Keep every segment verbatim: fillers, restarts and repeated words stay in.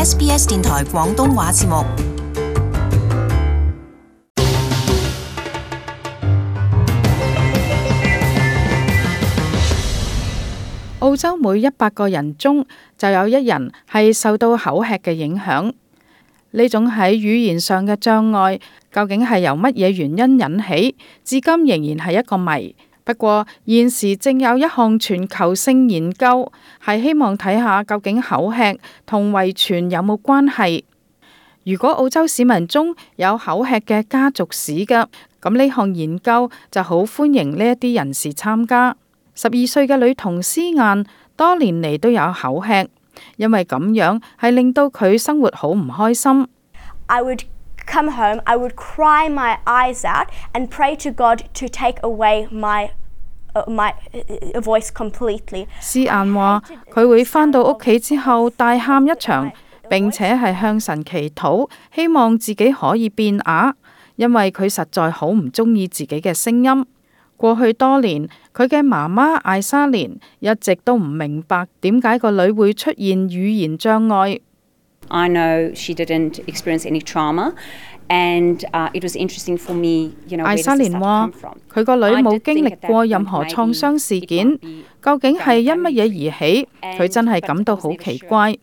S B S 電台廣東話節目。澳洲每一百個人中就有一人係受到口吃嘅影響。呢種喺語言上嘅障礙，究竟係由乜嘢原因引起，至今仍然係一個謎。不過現時正有一項全球性研究，係希望睇下究竟口吃同遺傳有冇關係。如果澳洲市民中有口吃嘅家族史嘅，咁呢項研究就好歡迎呢一啲人士參加。十二歲嘅女童斯晏多年嚟都有口吃，因為咁樣係令到佢生活好唔開心。I would come home, I would cry my eyes out and pray to God to take away my uh, my voice completely. 斯晏話佢會返到屋企之後大喊一場，並且係向神祈禱，希望自己可以變啞，因為佢實在好唔中意自己嘅聲音。過去多年，佢嘅媽媽艾莎蓮一直都唔明白點解個女會出現語言障礙。I know she didn't experience any trauma, and uh, it was interesting for me, you know, 艾莎蓮話佢個女冇經歷過任何創傷事件，究竟係因乜嘢而起？佢真係感到好奇怪。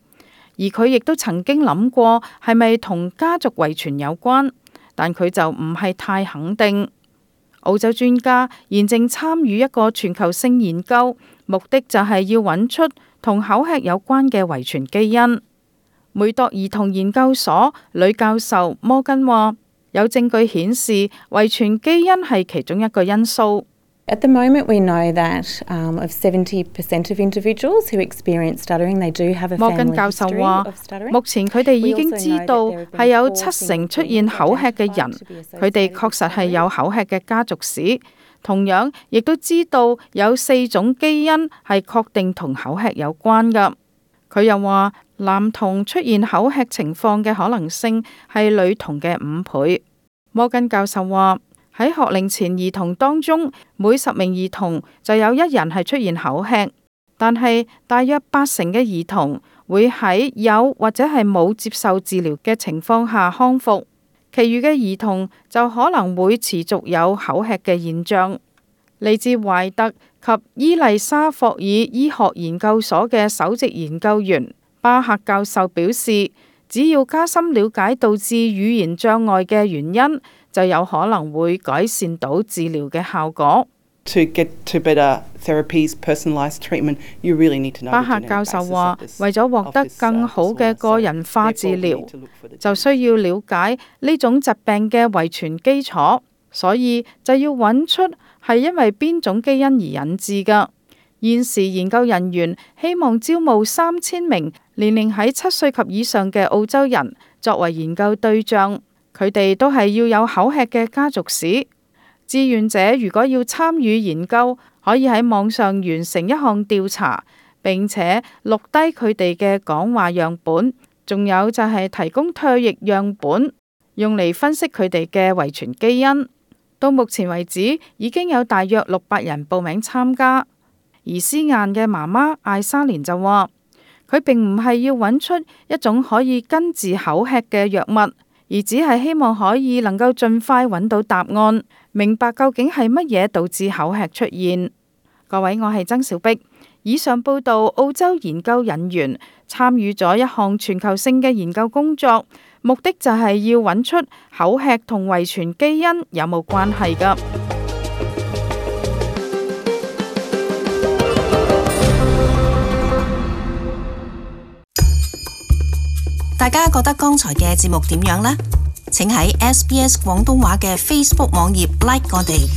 而佢亦都曾經諗過係咪同家族遺傳有關，但佢就唔係太肯定。澳洲專家現正參與一個全球性研究，目的就係要揾出同口吃有關嘅遺傳基因。梅鐸兒童研究所女教授摩根話，有證據顯示遺傳基因係其中一個因素。At the moment, we know that um, of seventy percent of individuals who experience stuttering, they do have a family history of stuttering. 目前佢哋已經知道係有七成出現口吃嘅人，佢哋確實係有口吃嘅家族史。同樣，亦都知道有四種基因係確定同口吃有關㗎。佢又話，男童出現口吃情況嘅可能性係女童嘅五倍。摩根教授話，喺學齡前兒童當中，每十名兒童就有一人係出現口吃，但係大約八成嘅兒童會喺有或者係冇接受治療嘅情況下康復，其餘嘅兒童就可能會持續有口吃嘅現象。嚟自懷特及伊麗莎霍爾醫學研究所嘅首席研究員巴克教授表示，只要加深了解導致語言障礙嘅原因，就有可能會改善到治療嘅效果。To get to better therapies, personalised treatment, you really need to know. 巴克教授話，為咗獲得更好嘅個人化治療，就需要了解呢種疾病嘅遺傳基礎，所以就要揾出係因為邊種基因而引致㗎。現時研究人員希望招募三千名年齡喺七歲及以上嘅澳洲人作為研究對象，佢哋都係要有口吃嘅家族史。志願者如果要參與研究，可以喺網上完成一項調查，並且錄低佢哋嘅講話樣本，仲有就係提供唾液樣本，用嚟分析佢哋嘅遺傳基因。到目前為止，已經有大約六百人報名參加。而斯晏嘅媽媽艾莎蓮就話，佢並唔係要揾出一種可以根治口吃嘅藥物，而只係希望可以能夠盡快揾到答案，明白究竟係乜嘢導致口吃出現。各位，我係曾小碧。以上報道，澳洲研究人員參與咗一項全球性嘅研究工作，目的就係要揾出口吃同遺傳基因有冇關係㗎。大家覺得剛才嘅節目點樣呢？請喺 S B S 廣東話嘅 Facebook 網頁 like 我哋。